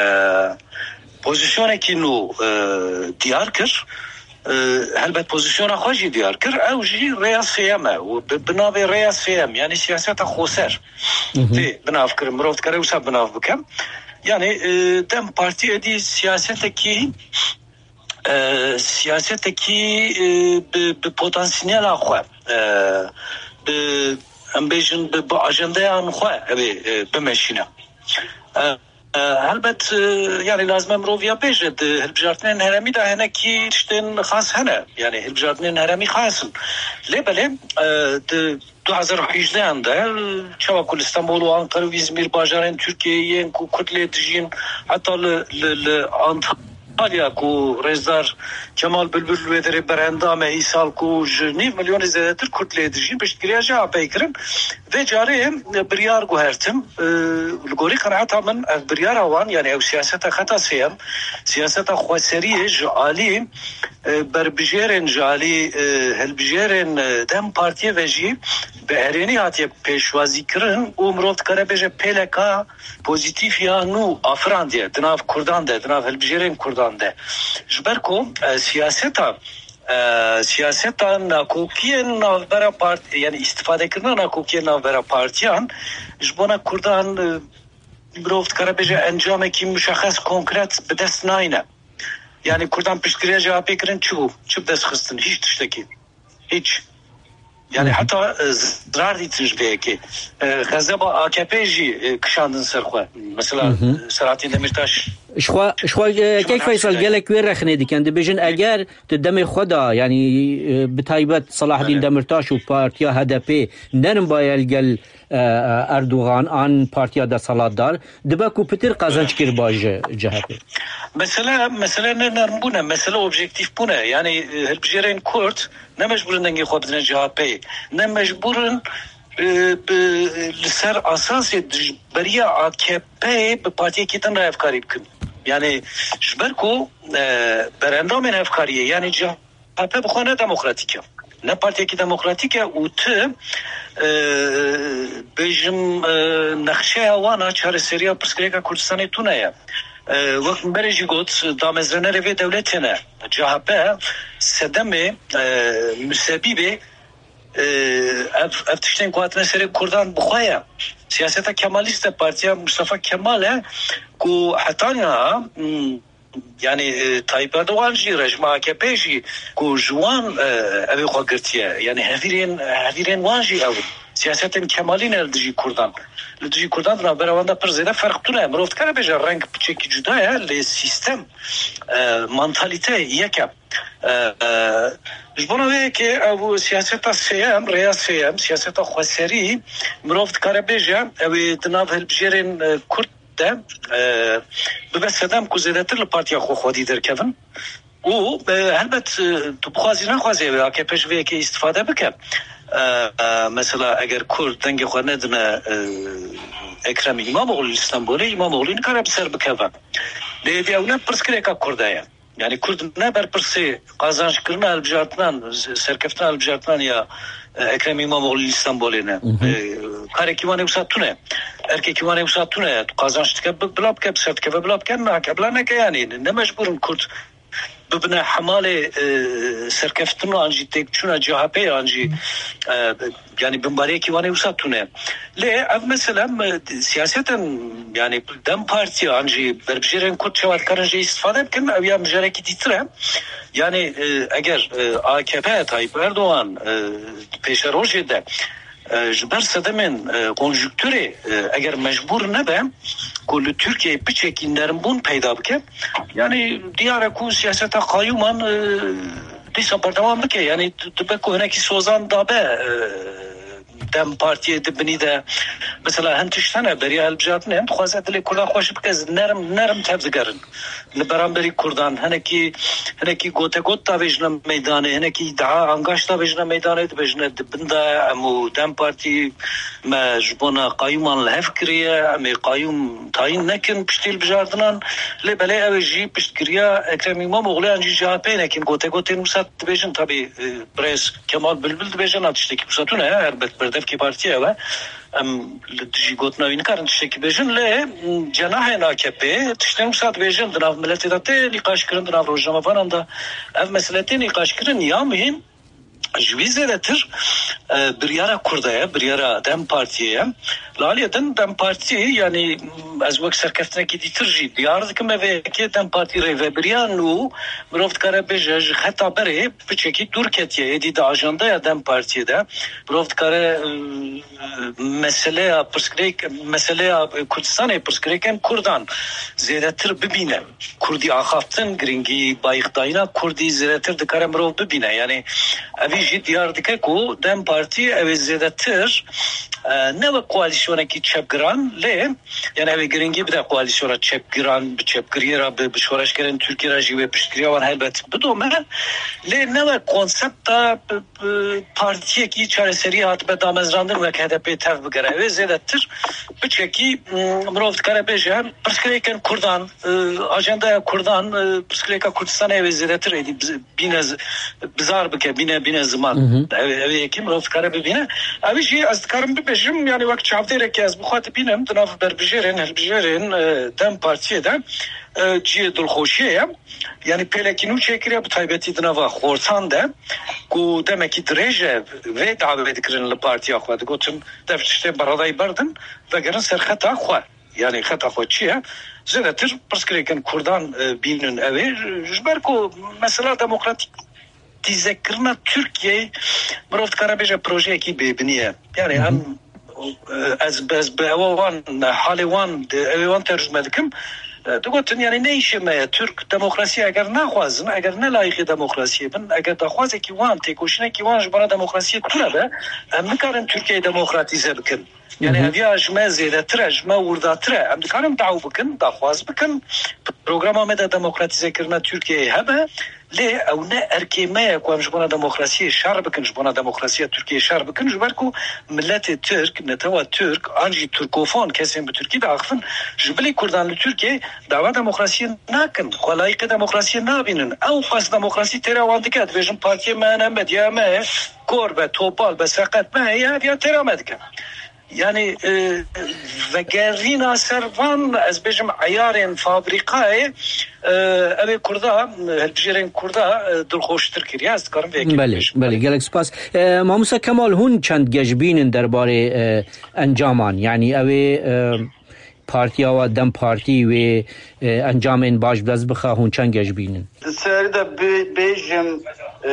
pozîsyonekî nû, e, diyar kir, e, helbet pozîsyona xwe jî diyar kir, ew jî rêya sêyem e û bi, bi navê rêya sêyem, yanî siyaseta xoser tê binav kirin. Mirov dikare wisa binav bike. Yanî, e, DEM Partî êdî siyasetekî, e, siyasetekî, e, bi, bi potansiyela xwe, e, bi, em bêjin, bi, bi ajendeyan xwe evê, e, bimeşîne. E, e, helbet, e, yanî lazim e mirov ya bêje, di hilbijartinên herêmî de hinekî tiştên xas hene. Yanî hilbijartinên herêmî xas in. Lê belê, e, di du hezar û hejdehan de, çawa ku li Stenbol û Ankara û Îzmîr, bajarên Tirkiyeyê yên ku Kurd lê dijîn, heta li, li, li Antalya ku rêzdar Kemal Bilbil li wê derê berendam e, îsal ku ji nîv milyonê zêdetir Kurd lê dijîn, piştgiriya C H P'yê kirin. Vê carê biryar guhertim, e, li gorî qenaeta min ev biryara wan, yanî ew siyaseta xeta sêyem, siyaseta xweseriyê ji alî, e, berbijêrên, ji alî, e, hilbijêrên, e, DEM Partiyê ve jî bi erênî hatiye pêşwazîkirin û mirov dikare bêje pêleka pozîtîf ya nû afirandiye di nav Kurdan de, di nav hilbijêrên Kurdan. de. Ji ber ku e, siyaseta e, siyaseta nakokiyên navbera parti, yani îstifadekirina nakokiyên navbera partiyan ji bona Kurdan e, mirov dikare bêje encamekî muşexes, konkret bi dest nayne. Yani Kurdan piştgiriya C H P kirin çi bû? Çi bi dest xistin? Hiç tiştekî. Hiç. Yani heta e, zirar dîtin ji vê yekê. E, xezeba A K P jî e, kişandin ser xwe. Mesela Hı hı. Selahattin Demirtaş Ji xwe, ji xwe, e, Kek Feysel, gelek wê rexnê dikin. Dibêjin eger di demê xwe de, yani e, bi taybet Salahdîn Demirtaş û partiya H D P nerin baye li gel e, e, Erdogan an partiya desthilatdar, dibe ku pitir qezenc kiriba ji C H P. Mesele, mesele ne nermbûn e, mesele objektîf bûn e. Yani e, hilbijêrên Kurd ne mecbûr in dengê xwe bidine C H P'yê. Ne mecbûr in e, bi, li ser asasê dijberiya A K P'yê bi partiyekî din re hevkarî bikin. Yani ji ber ku e, berendamên hevkariyê, yani C H P bi xwe ne demokratîk e. Ne partiyekî demokratîk e û ti e, bêjim e, nexşeya wan a çareseriya pirsgirêka Kurdistanê tune ye. E, wek min berê jî got, damezranerê vê dewletê ne. C H P sedemê e, musebîbê e, ev, ev tiştên ku hatine serê Kurdan bi xwe ye. Siyaseta Kemalîst e, partiya Mustafa Kemal e ku heta niha, hmm, yani e, Tayyip Erdogan jî, rejîma A K P jî ku ji wan e, ew ê xwe girtiye. Yani hevîrên, hevîrên wan jî ew in. Siyasetên Kemalî ne li dijî Kurdan. Li dijî Kurdan di navbera wan de pir zêde ferq tune. Mirov dikare bêje reng piçekî cuda ye, lê sîstem, e, mantalîte yek e. E, e, ji bona vê yekê ew siyaseta sêyem, rêya sêyem, siyaseta xweserî, mirov dikare bêje, ew ê di nav hilbijêrên e, Kurd de e, bibe sedem ku zêdetir li partiya xwe xwedî derkevin. Û e, helbet e, tu bixwazî nexwazî ew ê A K P ji vê yekê îstifade bike. E, e, mesela eger Kurd dengê xwe nedine e, Ekrem Îmamoğlu li Stenbolê, Îmamoğlu nikare bi ser bikeve. Lê êdî ew ne pirsgirêka Kurda ye. Yani Kurd ne berpirsê qazançkirina hilbijartinan, serkeftina hilbijartinan ya e, Ekrem İmamoğlu li Stenbolê ne. Hı hı. E, karekî wan ê wisa tune. Erkekî wan ê wisa tune. Tu qazanç dike bi-, bila bike, bi ser dikeve bila bike, nake bila neke yani. Ne mecbûr in Kurd bibine hemalê e, serkeftin an jî têkçûna C H P an jî e, yani binbariyekî wan ê wisa tune. Lê ev mesele me, siyaseten yani DEM Parti an jî berbijêrên Kurd çawa dikarin jê îstifade bikin, ew ya mijarekî dîtir e. Yani e, eger e, A K P, Tayyip Erdogan e, pêşerojê de e, ji ber sedemên e, konjukturê e, eger mecbûr nebe ku li Tirkiyeyê piçekî nermbûn peyda bike, yani diyar e ku siyaseta qayûman e, dîsa berdewam bike. Yani dibe ku hinekî sozan dabe e, DEM Partiyê di binî de mesela hin tişt hene beriya hilbijartinê, hin dixwaze dilê Kurdan xweş bike, nerm, nerm tevdigerin. Li beramberî Kurdan hinekî, hinekî gotegot davêjine meydanê, hinekî îdia angaş davêjine meydanê, dibêjine di bin de em û DEM Partî me ji bona qayûman li hev kiriye, em ê qayûm tayîn nekin piştî hilbijartinan. Lê belê ew ê jî piştgiriya Ekrem Îmamoğlu yan jî C H P nekin. Gotegotên wisa dibêjin, tabî e, birêz Kemal Bilbil dibêje, na tiştekî wisa tune ye, helbet berdevkê partiyê ew e. Em li dijî gotina wî nikarin tiştekî bêjin, lê, m, cenahên A K P tiştên wisa dibêjin, di nav miletê de tê nîqaşkirin, di nav rojnamevanan de ev mesele tê nîqaşkirin. Ya muhîm, ji wî zêdetir, e, biryara Kurda ye, biryara DEM Partiyê ye. Li aliyê din DEM Partî, yanî, m, ez wek serkeftinekî dîtir jî diyar dikim, me vê yekê DEM Partî rêvebiriya nû, mirov dikare bêje, ji xeta berê piçekî dûr ketiye. Êdî di ajandaya DEM Partiyê de mirov dikare, e, meseleya pirsgirêk-, meseleya Kurdistanê, pirsgirêkên Kurdan zêdetir bibîne. Kurdî axaftin, girîngî bayixdayîna Kurdî zêdetir dikare mirov bibîne. Yanî evî jî diyar dike ku DEM Partî ew ê zêdetir, e, ne wek koalîsyonekî çepgiran, lê yani ew ê girîngî bide koalîsyona çepgiran, bi çepgiriyê re, bi, bi şoreşgerên Tirkiyê re jî wê piştgiriya wan helbet bidome. Lê ne wek konsepta bi, bi partiyekî çareseriyê hatibe damezrandin wek H D P tev bigere. Ew ê zêdetir piçekî, m, mirov dikare bêje pirsgirêkên Kurdan, e, ajandaya Kurdan, e, pirsgirêka Kurdistanê ew ê zêdetir êdî biz-, bîne z-, bizar bike, bîne, bîne ziman. Ev, ev yekî mirov dikare bibîne. Ev jî ez dikarim bibêjim, yani wek çavdêrekî ez bi xwe dibînim, di nav berbijêrên, hilbijêrên, e, DEM Partiyê de, e, cihê dilxweşiyê ye. Yani pêlekî nû çêkiriye, bi taybetî di nava xortan de, ku demekî dirêj e vê dawê dikirin li partiya xwe. Digotin, dev tiştê beredayî berdin, vegerin ser xeta xwe. Yani xeta xwe çi ye? Zêdetir pirsgirêkên Kurdan, e, bînin ew ê. Ji ber ku mesela demokratîk demokratîzekirina Tirkiyeyê, mirov dikare bêje projeyekî bêbinî ye. Yani Hı hı. em, e, ez, ez bi ewa wan, halê wan, di, ew ê wan tercüme dikim. E, digotin, yani ne îşê me ye? Türk demokrasiyê eger naxwazin, eger ne layîqê demokrasiyê bin, eger daxwazekî wan, têkoşînekî wan ji bona demokrasiyê tune be, em nikarin Tirkiyeyê demokratîze bikin. Yani Hı hı. ev ya ji me zêdetir e, ji me wirdatir e. Em dikarin daw bikin, daxwaz bikin. Programa me de demokratîzekirina Tirkiyeyê hebe, lê ew ne erkê me ye ku em ji bona demokrasiyê şer bikin, ji bona demokrasiya Tirkiyeyê şer bikin, ji ber ku miletê Tirk, netewa Tirk, an jî Tirkofon, kesên bi Tirkî diaxivin, ji bilî Kurdan li Tirkiyeyê dawa demokrasiyê nakin, xwe layîqê demokrasiyê nabînin. Ew xwest demokrasî têra wan dike, dibêjin partiyê me hene, medya me ye, kor be, topal be, seqet me heye, ev ya têra me dike. Yani, e, vegerîna ser van, ez bêjim, eyarên fabrîkayê, e, ev ê Kurda, hilbijêrên Kurda, e, dilxweştir kiriye. Ez dikarim vê yekê Belê, bibêjim. Belê, gelek spas. E, Mamosta Kemal, hûn çend geşbîn in derbarê, e, encaman? Yani ew ê, e, partiya we, DEM Partî, wê, e, encamên baş bi dest bixe, hûn çend geşbîn in? Di serî de bê-, bêjim, e,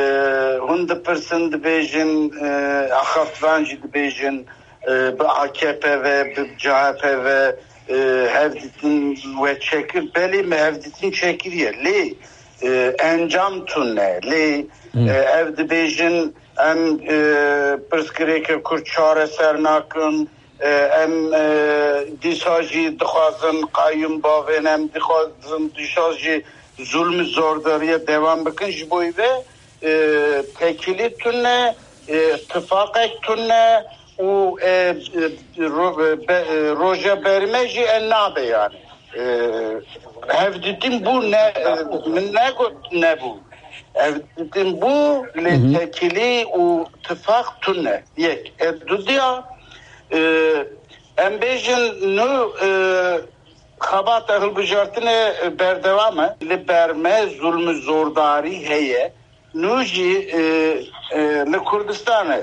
hûn dipirsin, dibêjin, e, axaftvan jî dibêjin, e, bi A K P ve, bi C H P ve, e, hevdîtin we çekir. Belê me hevdîtin çekiriye. Lê, e, encam tune. Lê, Hı. e, ev dibêjin, em, e, pirsgirêkê Kurd çareser nakin. E, em, e, dîsa jî dixwazin qayûm bavên, em dixwazin dîsa jî zulm û zordariye dewam bikin. Ji bo vê, e, tekîlî tune, e, tifaqek tune û, e, e, ro-, e, be-, e, roja berî me jî e nabe yani. E, hevdîtin bû ne, e, min negot nebû. Hevdîtin bû lê Hı hı. tekîlî û tifaq tune. Yek. E, dudiya, e, em bêjin nû, e, xebata hilbijartinê, e, berdewam e. Li ber me zulm û zordarî heye. Nû jî, e, e, li Kurdistanê,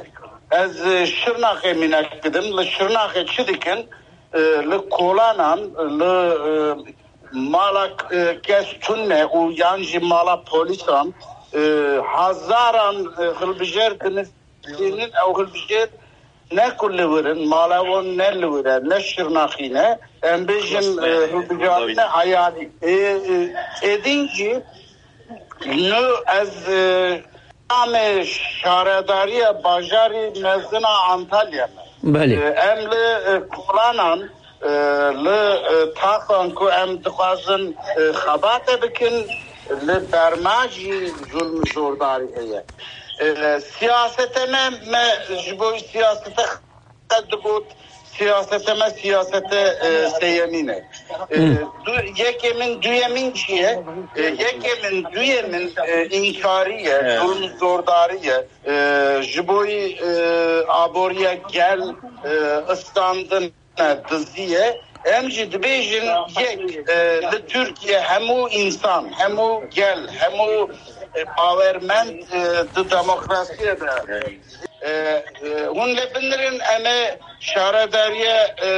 ez, e, Şirnaxê mînak bidim. Li Şirnaxê çi dikin? E, li kolanan, li, e, mala, e, kes tune û yan jî mala polîsan, e, hezaran, e, hilbijêr dinivînin, ew hilbijêr ne ku li wir in, mala wan ne li wir e, ne Şirnaxî ne. Em bêjin, e, hilbijartine heyalî. E, e, êdîn jî nû ez, e, namê şaredariya bajarî mezin a Antalya me. Belê. E, em li, e, kolanan, e, li, e, taxan ku em dixwazin, e, xebate bikin, li berma jî zulm zordarî heye. E, siyasete me, me ji bo siyasete qet digot, siyasete me siyasete, e, seyemîn e. E, Hı. du, yekê min, duyemîn çi ye? E, yekê min, duyemîn, e, înkarî ye, Evet. zulm zordarî ye. E, ji bo yî, e, aboriya gel, e, istandin e, dizî ye. Em jî dibêjin yek, e, li Tirkiye hemû însan, hemû gel, hemû, e, bawermend, e, di demokrasiyê de. E, e, hûn lê binirin em ê şaredariye, e,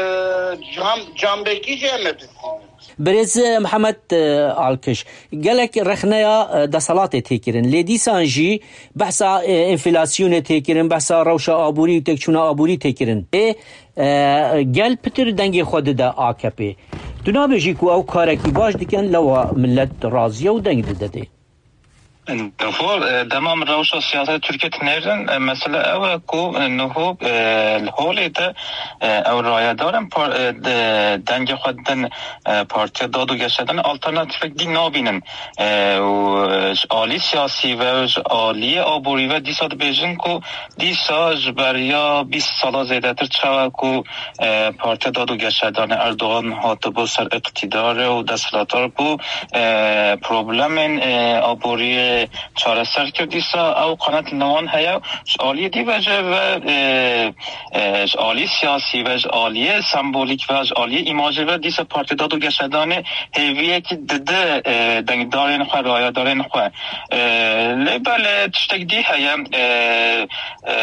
cam-, cambekî jî em ê bistînin. Birêz Mihemed, e, Alkiş, gelek rexneya, e, deselatê tê kirin. Lê dîsan jî behsa, e, enflasyonê tê kirin, behsa rewşa aborî û têkçûna aborî tê kirin. Ê, E, gel pitir dengê xwe dide A K P'ê. Tu nabêjî ku ew karekî baş dikin, lewa millet razî ye û deng dide dê. Niho, e, dema min rewşa siyaseta Tirkiye dinêrin, e, mesele ew e ku, e, niho, e, li holê de, e, ew rayedarên par-, e, de, dengê xwe didin, e, Partiya Dad û Geşedanê alternatîfek dî nabînin. E, û, e, ji alî siyasî ve, ji aliyê aborî ve dîsa dibêjin ku Dîsa ji beriya bîst sala zêdetir çawa ku, e, Partiya Dad û Geşedanê Erdogan hatibû ser îqtîdarê û desthilatdar bû, e, problemên, e, aboriyê çareser kir, dîsa ew qanat li wan heye. Ji aliyê dî ve jî ve, e, e, ji aliyê siyasî ve, ji aliyê sembolîk ve, ji aliyê îmajê ve dîsa Partiya Dad û Geşedanê hêviyekî dide, e, dengdarên xwe, rayedarên xwe. E, lê belê tiştek dî heye, e, e,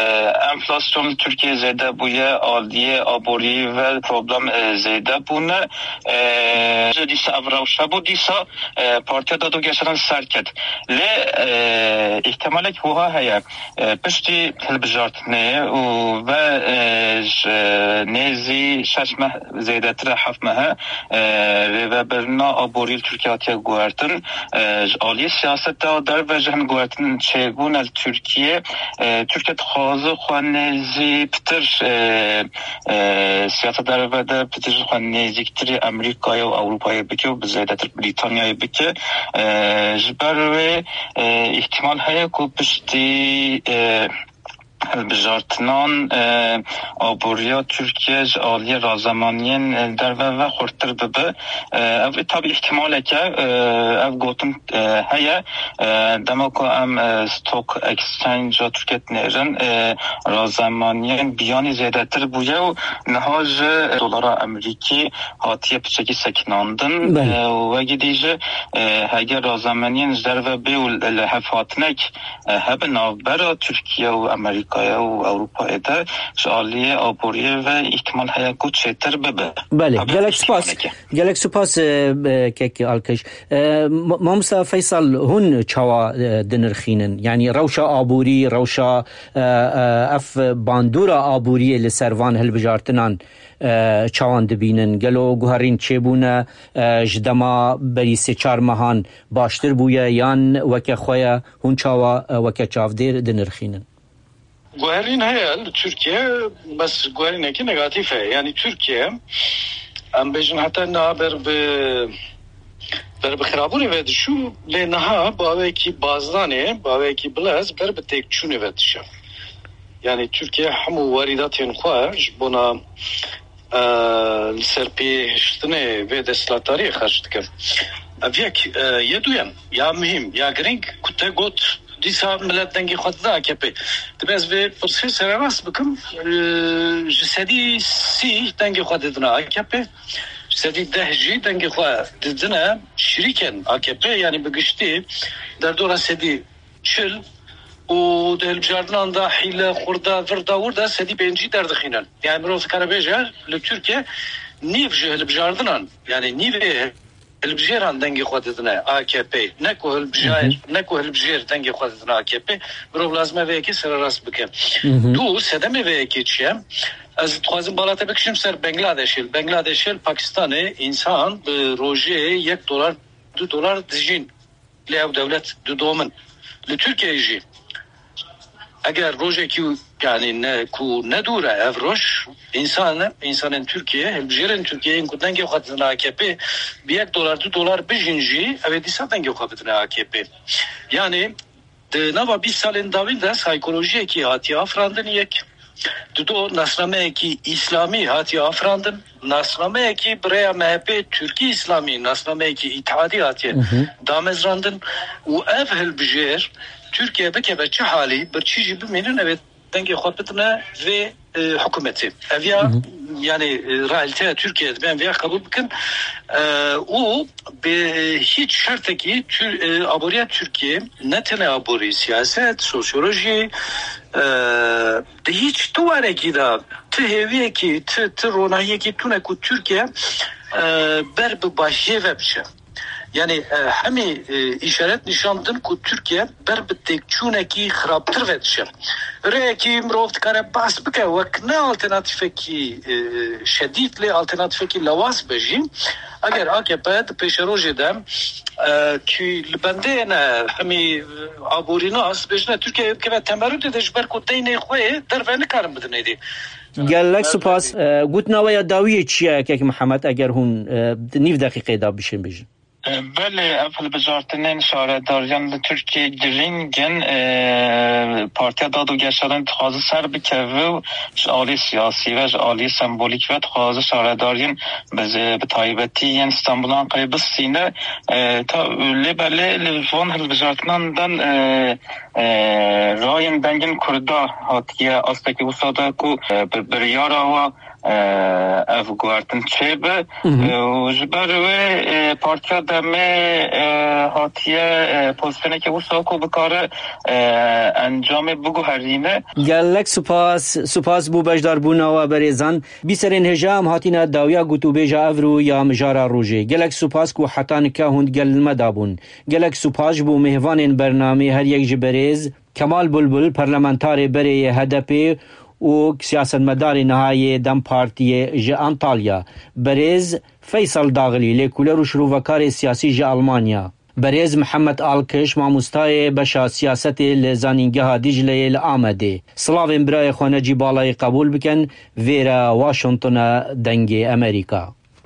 enflasyon li Tirkiyeyê zêde bûye, aliyê aborî ve problem, e, zêde bûne. E, dîsa ev rewşe bû, dîsa e, Partiya Dad û Geşedan ser ket. Lê, e, îhtimalek wiha heye, e, piştî hilbijartinê û ve, e, ji nêzî şeş meh zêdetir e, heft meh e, e, rêvebirina aborî li Tirkiye hatiye guhertin. E, ji aliyê siyaseta derve jî hin guhertin çêbûne li Tirkiye. E, Tirkiye dixwaze xwe nêzî pitir, e, e, siyaseta derve de pitir xwe nêzîktirî Amerîkayê û Ewropayê bike û bi zêdetir Brîtanyayê bike. E, ji ber wê, e, îhtimal heye ku piştî, e, hilbijartinan, e, aboriya Tirkiye ji aliyê razemaniyên, e, derve ve xurttir bibe. E, ev tabî îhtimalek e, e, ev gotin, e, heye. E, dema ku em, e, stock exchange-a Tirkiye dinêrin, e, razemaniyên biyanî zêdetir bûye û niha ji dolara Amerîkî hatiye piçekî sekinandin. Belê. E, û wekî dî jî, e, heger razemaniyên ji derve bê û li hevhatinek, e, hebe navbera Tirkiye û Amerîkaya û Ewropayê de ji aliyê aboriyê ve îhtimal heye ku çêtir bibe. Belê, Tabii gelek spas. Gelek spas, e, e, kek Alkiş. E, ma-, Mamosta Feysal, hûn çawa, e, dinirxînin? Yanî rewşa aborî, rewşa, e, e, ev bandora aboriyê li ser van hilbijartinan, e, çawan dibînin? Gelo guherîn çêbûne, e, ji dema berî sê çar mehan baştir bûye yan weke xwe ye? Hûn çawa, e, weke çavdêr dinirxînin? Guherîn heye li Tirkiye, bes guherînekî negatîf heye. Yanî Tirkiye, em bêjin heta niha ber bi, ber bi xirabûnê ve diçû, lê niha bi awekî bazdanê, bi awekî bilez ber bi têkçûnê ve diçe. Yanî Tirkiye hemû werîdatên xwe ji bona, e, li ser pê hiştinê vê desthilatdariyê xerc dike. Ev yek, e, yê duyem, ya muhîm, ya girîng ku te got, dîsa milet dengê xwe dide A K P. Divê ez vê pirsê sererast bikim, e, ji sedî sî dengê xwe didine A K P, ji sedî deh jî dengê xwe didine şirîkên A K P, yanî bi giştî derdora sedî çil û di hilbijartinan de hîle, xurda, virda, wirda sedî pêncî derdixînin. Yani mirov dikare bêje, li Tirkiye nîv ji hilbijartinan, yani nîvê hilbijêran dengê xwe didine A K P. Ne ku hilbijêr, ne ku hilbijêr dengê xwe didine A K P. Mirov lazim e vê yekê sererast bike. Du, sedemê vê yekê çi ye? Ez dixwazim bala te bikişim ser Bangladeshê. Li Bangladeshê, li Pakistanê însan bi rojê yek dolar, du dolar dijîn. Lê ew dewlet didomin. Li Tirkiyeyê jî eger rojekî, yani ne, ku ne dûr e ev roj, însan, însanên Tirkiye, hilbijêrên Tirkiye yên ku dengê xwe didin A K P, bi yek dolar, du dolar bijîn jî, ew ê dîsa dengê xwe bidine A K P. Yani di nava bîst salên dawîn de saykolojiyekî hatiye afirandin yek. Dido nasnameyekî îslamî hatiye afirandin, nasnameyekî bi rêya M H P Tirkî îslamî, nasnameyekî îtihadî hatiye damezrandin û ev hilbijêr Tirkiye bikeve çi halî, birçî jî bimînin, ev ê dengê xwe bidine vê, e, hikûmetê. Ev ya, yani, e, realîteya Tirkiye dibe em vê ya qebûl bikin. E, û bi hîç şertekî Tür-, e, aboriya Tirkiye ne tenê aborî, siyaset, sosyolojî, e, di hîç tu warekî de, tu hêviyekî, tu, tu ronahiyekî tune ku Tirkiye, e, ber bi başiyê ve biçe. Yani, e, hemî, e, îşaret nîşan din ku Tirkiye ber bi têkçûnekî xirabtir ve diçe. Rêyekî mirov dikare behs bike wek ne alternatîfekî, e, şedîd, lê alternatîfekî lewaz be jî. Eger A K P di pêşerojê de, e, kî li bendê ne, hemî, e, aborînas bêjine Tirkiye bikeve temerûdê de ji ber ku deynê xwe yê derve nikarin bidin êdî. Gelek spas. E, gotina we ya dawiyê çi ye, Kek Mihemed, eger hûn, e, di nîv deqîqeyê de bişên bêjin? Belê, ev hilbijartinên şaredariyan li Tirkiyê girîng in. E, Partiya Dad û Geşadan dixwaze ser bikeve û ji alî siyasî ve, ji alî sembolîk ve dixwaze şaredariyên bi, bi taybetî yên Stenbul û Anqerê bistîne. E, ta, lê belê li van hilbijartinan de, e, e, rayên dengên Kurda hatiye astekî wisa de ku, e, bi biryara wa, e, ev guhertin çêbe. Hı hı. E, û ji ber wê, e, Partiya Demê, e, hatiye, e, pozisyonekê wisa ku bikare, e, encamê biguherîne. Gelek spas, spas bo beşdarbûna we berêzan. Bîserên hêja em hatine dawiya gotûbêja evro ya mijara rojê. Gelek spas ku heta nika hûn digel me de bûn. Gelek spas ji bo mêvanên bernamê, her yek ji berêz Kemal Bulbul, parlamentarê berê yê H D P û siyasetmedarê niha yê dem Partiyê ji Antalya, berêz Feysel Daxilî, lêkoler û şirovekarê siyasî ji Almanya, berêz Mihemed Alkiş, mamostayê beşa siyasetê li Zanîngeha Dîcleyê li Amedê. Silavên birayê xwe Necî Balayî qebûl bikin, vêre Washington e, Dengê Amerîka.